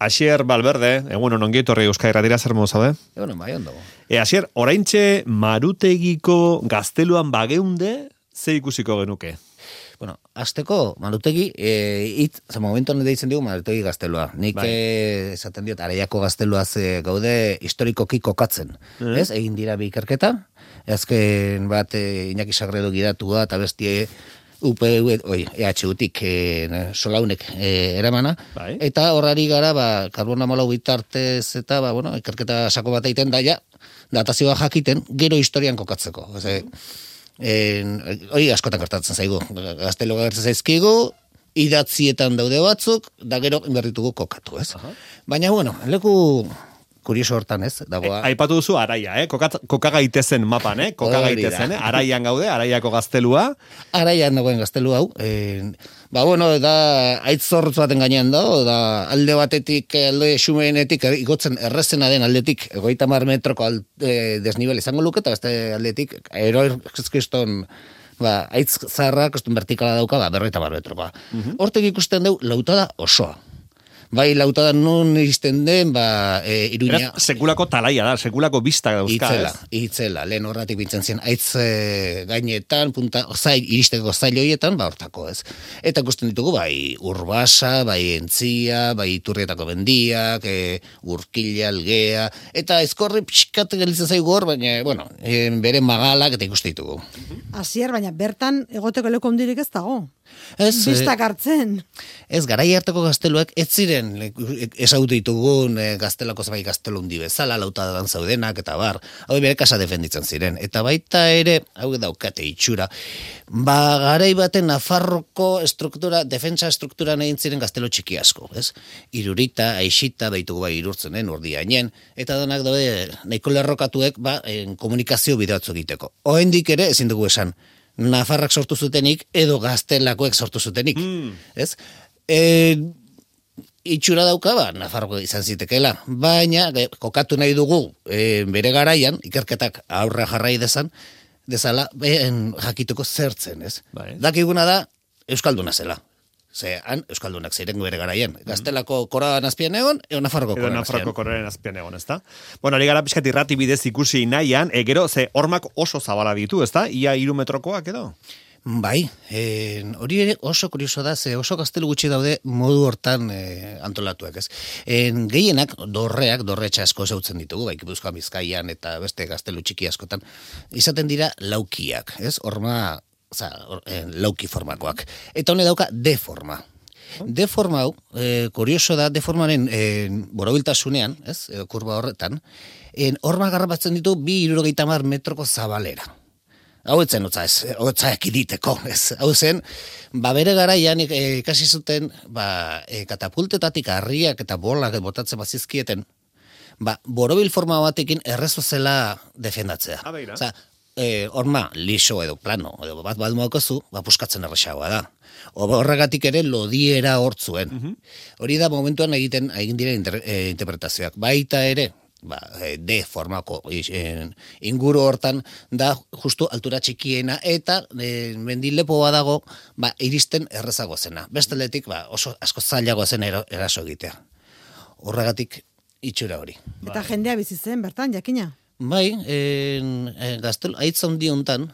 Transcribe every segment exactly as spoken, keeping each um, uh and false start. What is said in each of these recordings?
Asier Valverde, egun ongi etorri Euskadi Irratira, zer modu zaude? Egun bai ondo. E, Asier, oraintxe Marutegiko gazteluan bageunde, ze ikusiko genuke? Bueno, azteko, Marutegi, e, it, za momentuan deitzen dugu Marutegi gaztelua. Nik bai. e, esaten diot, Araiako gazteluaz e, gaude historikoki kokatzen. Mm. Ez, egin dira bi ikerketa, azken bat e, Iñaki Sagredo gidatua, eta bestie U P U, oi, E H U-tik e, solaunek e, eramana, bai. Eta horrari gara, ba, karbona molau bitartez, eta, ba, bueno, ikerketa sako bat egiten daia, datazioa jakiten, gero historian kokatzeko. Ose, En, hori askotan gertatzen zaigu, gaztelo gertatzen zaizkigu, idatzietan daude batzuk, da gero inberritugu kokatu, ez? Aha. Baina, bueno, leku kurioso hortan, ez? Dagoa... E, aipatu duzu Araia, eh? Koka, koka gaitezen mapan, eh? Koka gaitezen, eh? Araian gaude, Araiako gaztelua. Araian dagoen gaztelu hau. En, ba, bueno, da, aitzorrutz baten gainean da, da, alde batetik, alde xumeenetik, igotzen errezena den aldetik, egoita mar metroko al, e, desnivel izango luke, eta beste aldetik, aeroeskiston, ba, aitz zarra, kostun vertikala dauka, ba, berroita mar metrokoa. Uh-huh. Hortek ikusten dugu, lautada osoa. Bai, lautada non izten den, ba, e, Iruña... Eraz, sekulako talaia da, sekulako bista dauzka, itzela, ez? Itzela, lehen horratik bintzen zien, aitz e, gainetan, punta, zail, iristeko zail horietan, ba, hortako, ez? Eta ikusten ditugu, bai, Urbasa, bai, Entzia, bai, Iturrietako bendiak, e, Urkila, Algea, eta ezkorri pixkat gelitzen zaigu hor, baina, bueno, e, bere magalak eta ikusten ditugu. Asier, baina bertan egoteko leku ondirik ez dago. Ez, Bistak hartzen. Ez, garai harteko gazteluak ez ziren ezagutu ditugun e, gaztelako bai gaztelu hundi bezala, lautadan zaudenak, eta bar, hau bere kasa defenditzen ziren. Eta baita ere, hau daukate itxura, ba, garai baten Nafarroko estruktura, defensa estrukturan egin ziren gaztelo txiki asko, ez? Irurita, Aixita, baitugu bai irurtzenen, urdiainen, eta donak daude, nahiko lerrokatuek, ba, en, komunikazio bideatzu egiteko. Oraindik ere, ezin dugu esan, Nafarrak sortu zutenik, edo gaztelakoek sortu zutenik, mm. ez? E, itxura dauka, ba, Nafarroko izan zitekeela, baina kokatu nahi dugu e, bere garaian, ikerketak aurra jarrai dezan, dezala, ben, jakituko zertzen, ez? Bai. Dakiguna da, Euskalduna zela. Ze, han, Euskaldunak ziren bere garaian. Gaztelako koraan azpian egon, eo Nafarroko koraan azpian. Nafarroko koraan azpian egon, ezta? Bueno, hori gara pixkat irrati bidez ikusi nahian, e, gero, ze, hormak oso zabala ditu, ezta? Ia hiru metrokoak edo? Bai, e, hori ere oso kurioso da, ze oso gaztelu gutxi daude modu hortan e, antolatuak, ez? En, gehienak, dorreak, dorretxa asko zautzen ditugu, bai, Gipuzkoa, Bizkaian eta beste gaztelu txiki askotan, izaten dira laukiak, ez? Horma, oza, eh, lauki formakoak. Eta hone dauka deforma. Deforma hau, eh, kurioso da, deformaren eh, borobiltasunean, ez, edo kurba horretan, en, horma garrapatzen ditu bi hirurogeita hamar metroko zabalera. Hau etzen, otza, ez, otza ekiditeko, ez, hau zen, ba, bere garaian eh, ikasi zuten, ba, eh, katapultetatik harriak eta bolak botatzen bazizkieten, ba, borobil forma batekin errezo zela defendatzea. Oza, E, horma, liso edo plano, edo bat balmoako zu, ba, puskatzen erresagoa da. Horregatik ere lodiera hortzuen. Uh-huh. Hori da momentuan egiten egin dira inter, e, interpretazioak. Baita ere, ba, e, de formako e, inguru hortan da justu altura txikiena eta e, mendilepo badago ba, iristen errezago zena. Besteletik ba, oso asko zailago zen eraso egitea. Horregatik itxura hori. Eta jendea bizi zen bertan, jakina? Bai, en, en, gaztel, aitza hundi hontan,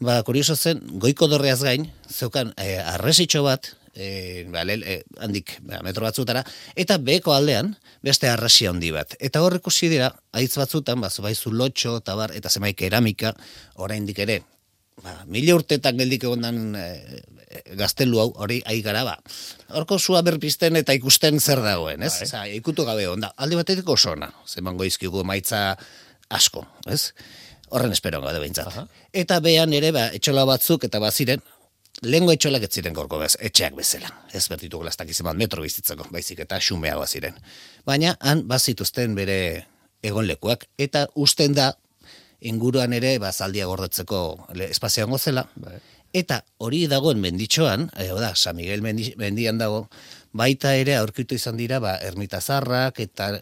ba, kurioso zen, goiko dorreaz gain, zeukan, e, arresitxo bat, e, ba, lel, e, handik, ba, metro batzutara, eta beheko aldean, beste arresia handi bat. Eta hor ikusi dira, aitz batzutan, ba, zubaizu lotxo, eta bar, eta zemai keramika, oraindik ere, ba, mila urtetan geldik egondan e, e, gaztelu hau, hori ai gara, ba, horko zua berpisten eta ikusten zer dagoen, ez? Oza, ikutu gabe onda, alde batetik oso ona, zemango izkigu maitza asko, ez? Horren esperoan gade behintzat. Aha. Eta behan ere, ba, etxola batzuk eta baziren, lehengo etxolak ez ziren gorko bez, etxeak bezala. Ez bertitu glastak izan metro bizitzeko, baizik eta xumeagoa ziren. Baina, han bazituzten bere egonlekuak, eta usten da, inguruan ere, ba, zaldia gordetzeko espazioan gozela, bai. Eta hori dagoen menditxoan, e, oda, San Miguel mendi, mendian dago, baita ere aurkitu izan dira, ba, ermitazarrak, eta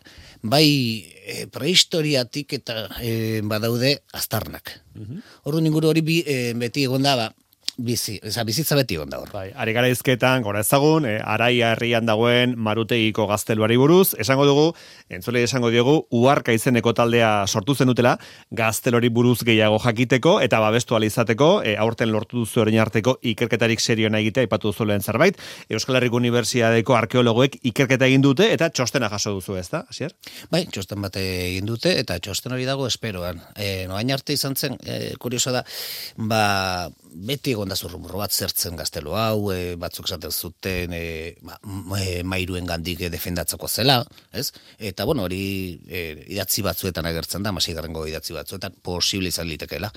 bai e, prehistoriatik eta e, badaude aztarnak. Uh-huh. Orduan inguru hori bi, e, beti egon da, ba, bizi, eza, bizitza beti egon da hor. Bai, ari gara izketan, gora ezagun, e, Araia herrian dagoen Marutegiko gazteluari buruz, esango dugu, entzule esango diogu, Uharka izeneko taldea sortu zenutela, gaztelori buruz gehiago jakiteko, eta babestu alizateko, e, aurten lortu duzu orain arteko ikerketarik serioena egitea, ipatu duzu lehen zerbait, Euskal Herriko Unibertsitateko arkeologoek ikerketa egin dute, eta txostena jaso duzu, ez da, Asier? Bai, txosten bat egin dute, eta txosten hori dago esperoan. E, noain arte izan zen, e, kurioso da, ba, beti egon da zurrumurro bat zertzen gaztelu hau, e, batzuk esaten zuten e, ma, e, mairuen gandik defendatzeko zela, ez? Eta, bueno, hori e, idatzi batzuetan agertzen da, masigarrengo idatzi batzuetan, posible izan litekeela.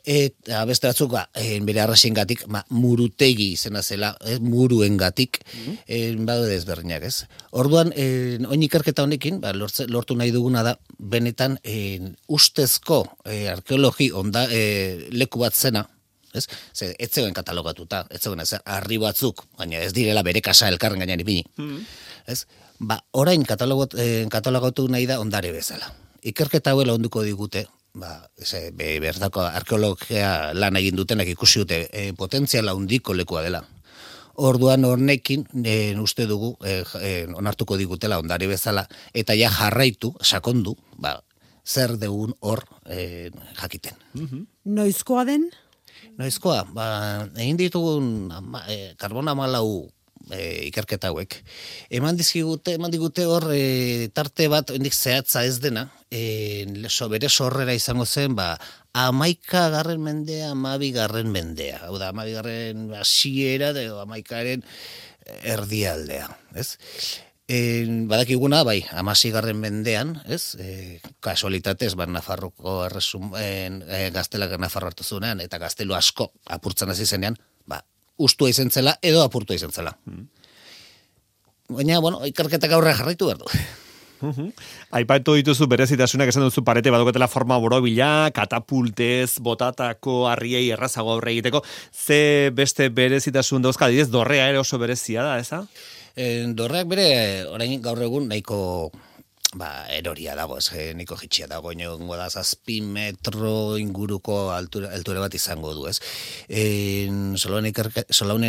Eta beste batzuk, ba, bere arrasengatik, ma, murutegi izena zela, ez, muruengatik, mm -hmm. badu desberdinak, ez? Orduan, e, oin ikerketa honekin, ba, lortze, lortu nahi duguna da, benetan, e, ustezko e, arkeologi onda, e, leku bat zena, ez? Ze, ez zegoen katalogatuta, ez zegoen, ez, arri batzuk, baina ez direla bere kasa elkarren gainean ipini, mm -hmm. ez? Ba, orain katalogot, e, katalogatu nahi da ondare bezala. Ikerketa hauela onduko digute, ba, ese, be, berdako arkeologia lan egin dutenak ikusi dute e, potentziala handiko lekua dela. Orduan hornekin e, uste dugu e, e, onartuko digutela ondare bezala eta ja jarraitu, sakondu, ba, zer deun hor e, jakiten. Mm-hmm. Noizkoa den? Noizkoa, ba, egin ditugun ama, e, karbona malau E, ikerketa hauek. Eman dizkigute, eman digute hor e, tarte bat hendik zehatza ez dena, e, so, bere sorrera izango zen, ba, amaika garren mendea, amabi garren mendea. Hau da, amabi garren hasiera, amaikaren erdialdea, ez? E, badakiguna, bai, amasi garren mendean, ez? E, kasualitatez, ba, Nafarroko erresum, e, e, gaztelak Nafarro hartu zunean, eta gaztelu asko apurtzen hasi zenean, ba, ustua izan zela, edo apurtua izan zela. Mm. Baina, bueno, ikerketak aurre jarraitu behar du. Uh-huh. Aipatu dituzu berezitasunak esan duzu parete baduketela forma borobila, katapultez, botatako harriei errazago aurre egiteko. Ze beste berezitasun dauzka, didez, dorrea ere oso berezia da, eza? E, dorreak bere, orain gaur egun, nahiko... ba, eroria dago, ez, niko jitxia dago, inongo da, zazpi metro inguruko altura, altura bat izango du, ez. E, Solaunen ikerke,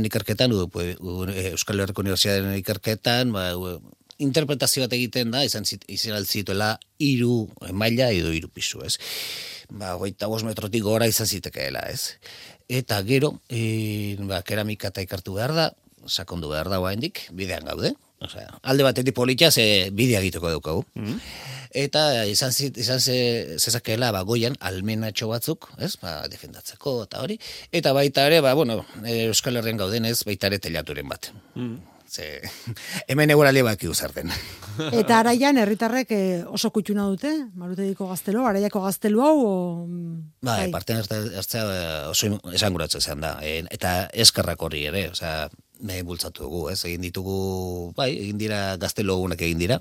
ikerketan, u, u, Euskal Herriko Unibertsitatearen ikerketan, ba, u, interpretazio bat egiten da, izan, izan altzituela iru maila edo iru pisu, ez. Ba, goita bost metrotik gora izan zitekeela, ez. Eta gero, e, ba, keramika eta ikartu behar da, sakondu behar da oraindik, bidean gaude. Osea, alde batetik politia ze bidea egiteko daukagu. Mm-hmm. Eta izan izan ze zezakeela ba goian almenatxo batzuk, ez? Ba, defendatzeko eta hori. Eta baita ere, ba bueno, Euskal Herrian gaudenez, baita ere telaturen bat. Mm. Ze hemen eguraldi baki uzar den. Eta Araian herritarrek oso kutxuna dute, Marutegiko gaztelu, Araiako gaztelu hau o ba, bai, parte hartzea oso esanguratzen izan da. Eta eskerrak horri ere, osea, me bultzatu dugu, ez? Egin ditugu, bai, egin dira gaztelu egunak egin dira.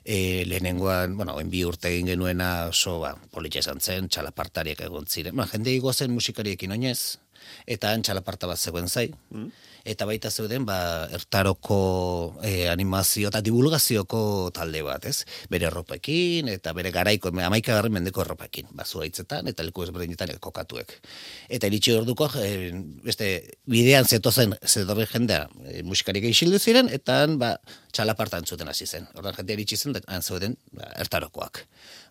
E, lehenengoan, bueno, bi urte egin genuena oso, ba, politxa esan zen, txalapartariak egon ziren. Ba, jende igozen musikariekin oinez, eta han txalaparta bat zegoen zai. Mm. Eta baita zeuden, ba, ertaroko e, animazio eta divulgazioko talde bat, ez? Bere erropekin, eta bere garaiko, amaika garren mendeko erropekin, ba, zuaitzetan, eta leku ezberdinetan kokatuek. Eta iritsi orduko, e, beste, bidean zetozen, zedorre jendea, e, musikarik eixildu ziren, eta han, ba, txalapartan zuten hasi zen. Ordan jendea iritsi zen, han zeuden, ba, ertarokoak.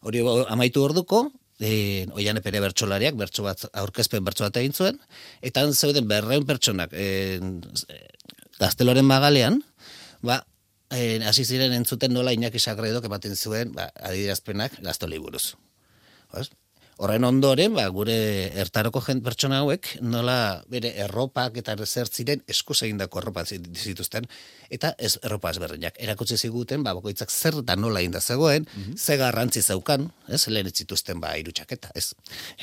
Hori amaitu orduko, E, oian epere bertsolariak, bertso bat, aurkezpen bertso bat egin zuen, eta han zeuden berreun pertsonak e, gazteloren magalean, ba, e, hasi ziren entzuten nola Iñaki Sagredok ematen zuen, ba, adierazpenak gaztolei buruz. Horren ondoren, ba, gure ertaroko jent pertsona hauek, nola bere erropak eta zertziren eskuz egindako erropa zituzten, eta ez erropa ezberdinak. Erakutsi ziguten, ba, bakoitzak zer da nola inda zegoen, mm-hmm. ze garrantzi zeukan, ez, lehen ez zituzten, ba, irutxaketa, ez.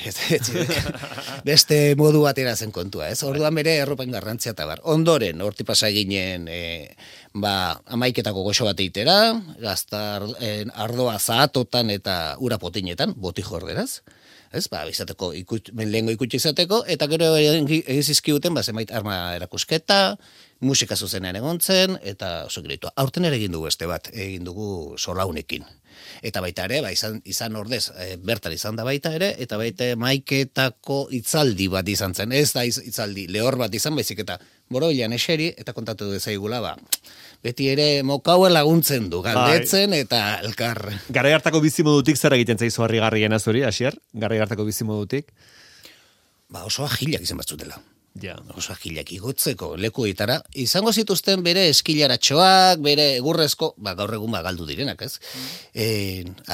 ez, ez beste modu batera zen kontua, ez. Orduan bere erropain garrantzia eta bar. Ondoren, horti pasa ginen, e, ba, amaiketako goxo bat eitera, gazta ardoa zahatotan eta ura potinetan, boti jorderaz, ez, ba, izateko, ikut, lehengo ikutxe izateko, eta gero egin zizkiuten, ba, zenbait arma erakusketa, musika zuzenean egon zen, eta oso giritu. Aurten ere egin dugu beste bat, egin dugu solaunekin. Eta baita ere, ba, izan, izan ordez, e, bertan izan da baita ere, eta baita maiketako itzaldi bat izan zen. Ez da iz, itzaldi lehor bat izan, baizik eta boroilan eseri, eta kontatu dezaigula, ba, beti ere mokaue laguntzen du, galdetzen eta elkar. Garai hartako bizimodutik zer egiten zaizu harrigarriena zuri, Asier? Garai hartako bizimodutik? Ba, oso agilak izan batzutela. Ja. Oso agilak igotzeko lekuetara. Izango zituzten bere eskilaratxoak, bere egurrezko, ba, gaur egun ba, galdu direnak, ez? Mm. E,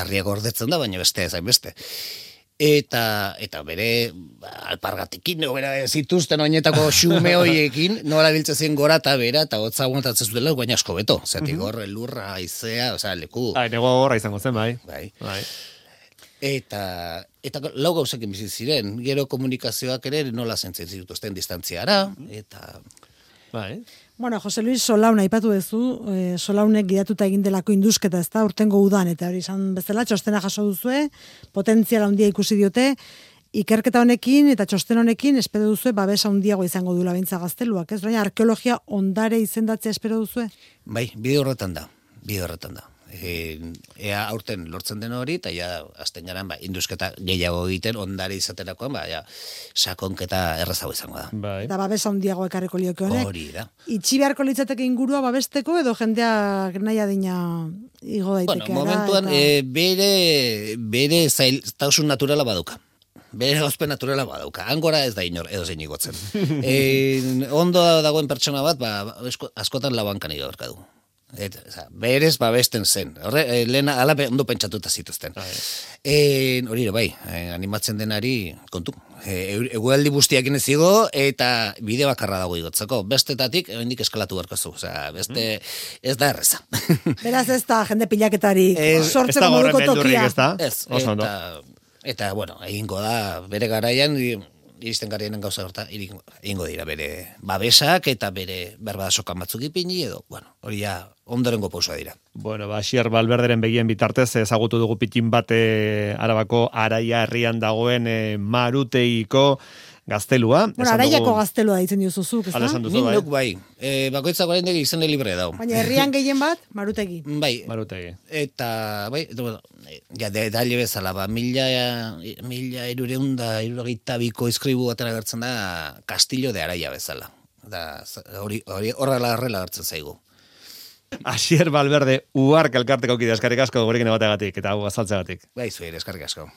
harria gordetzen da, baina beste ezain beste. Eta, eta bere ba, alpargatikin, no, bera zituzten oinetako xume hoiekin, nola biltzen zien gora eta bera, eta hotza aguantatzen zutela, baina asko beto. Zatik mm-hmm. hor, lurra, aizea, osea, leku. Ai, nego horra izango zen, bai. Bai. Bai. Eta, eta lau gauzekin bizi ziren, gero komunikazioak ere nola zentzen zituzten distantziara, eta... Bai. Bueno, Jose Luis Solaun aipatu duzu, e, Solaunek gidatuta egin delako indusketa, ez da, urtengo udan, eta hori izan bezala, txostena jaso duzue, potentziala handia ikusi diote, ikerketa honekin eta txosten honekin espero duzue babesa handiago izango duela bintza gazteluak, ez? Baina arkeologia ondare izendatzea espero duzue? Bai, bide horretan da, bide horretan da. E, ea aurten lortzen den hori, eta ja, azten garan, ba, indusketa gehiago egiten, ondare izaterakoan, ba, ja, sakonketa errazago izango da. Bai. Eta babesa handiago ekarriko lioke honek. Hori da. Itxi beharko litzateke ingurua babesteko, edo jendeak nahi adina igo daiteke. Bueno, momentuan, eta... e, bere, bere zailtasun naturala baduka. Bere gozpen naturala badauka. Angora ez da inor, edo zein igotzen. e, ondo dagoen pertsona bat, ba, askotan labankan igorka du. Et, oza, berez babesten zen. Horre, e, lehena ala ondo pentsatuta zituzten. E, hori ere bai, e, animatzen denari kontu. E, egualdi bustiakin ez zigo, eta bide bakarra dago igotzeko. Bestetatik, hendik eskalatu beharko zu. Oza, beste, ez da erreza. Beraz ez da, jende pilaketari sortzeko moduko tokia. Ez da, ez, eta, eta, bueno, egingo da, bere garaian, iristen garaienen gauza horta, egingo dira bere babesak eta bere berbada sokan batzuk ipini edo, bueno, hori ja ondorengo pausoa dira. Bueno, ba, Asier Valverderen begien bitartez ezagutu dugu pitin bate Arabako Araia herrian dagoen e, Maruteiko gaztelua. Bueno, Araiako dugu... gaztelua ditzen diozuzuk, ez da? Nik bai. bai. E, bakoitzak orain degi izan libre dau. Baina herrian gehien bat, Marutegi. Bai. Marutegi. Eta, bai, eta, bueno, ja, de, daile bezala, ba, mila, mila erureunda, erurogeita biko izkribu batera gertzen da Castillo de Araia bezala. Da, hori, hori, horrela horrela gertzen zaigu. Asier Valverde, uark elkarteko kide eskarrik asko gurekin ebateagatik, eta hau azaltzeagatik. Bai, zuer, eskarrik asko.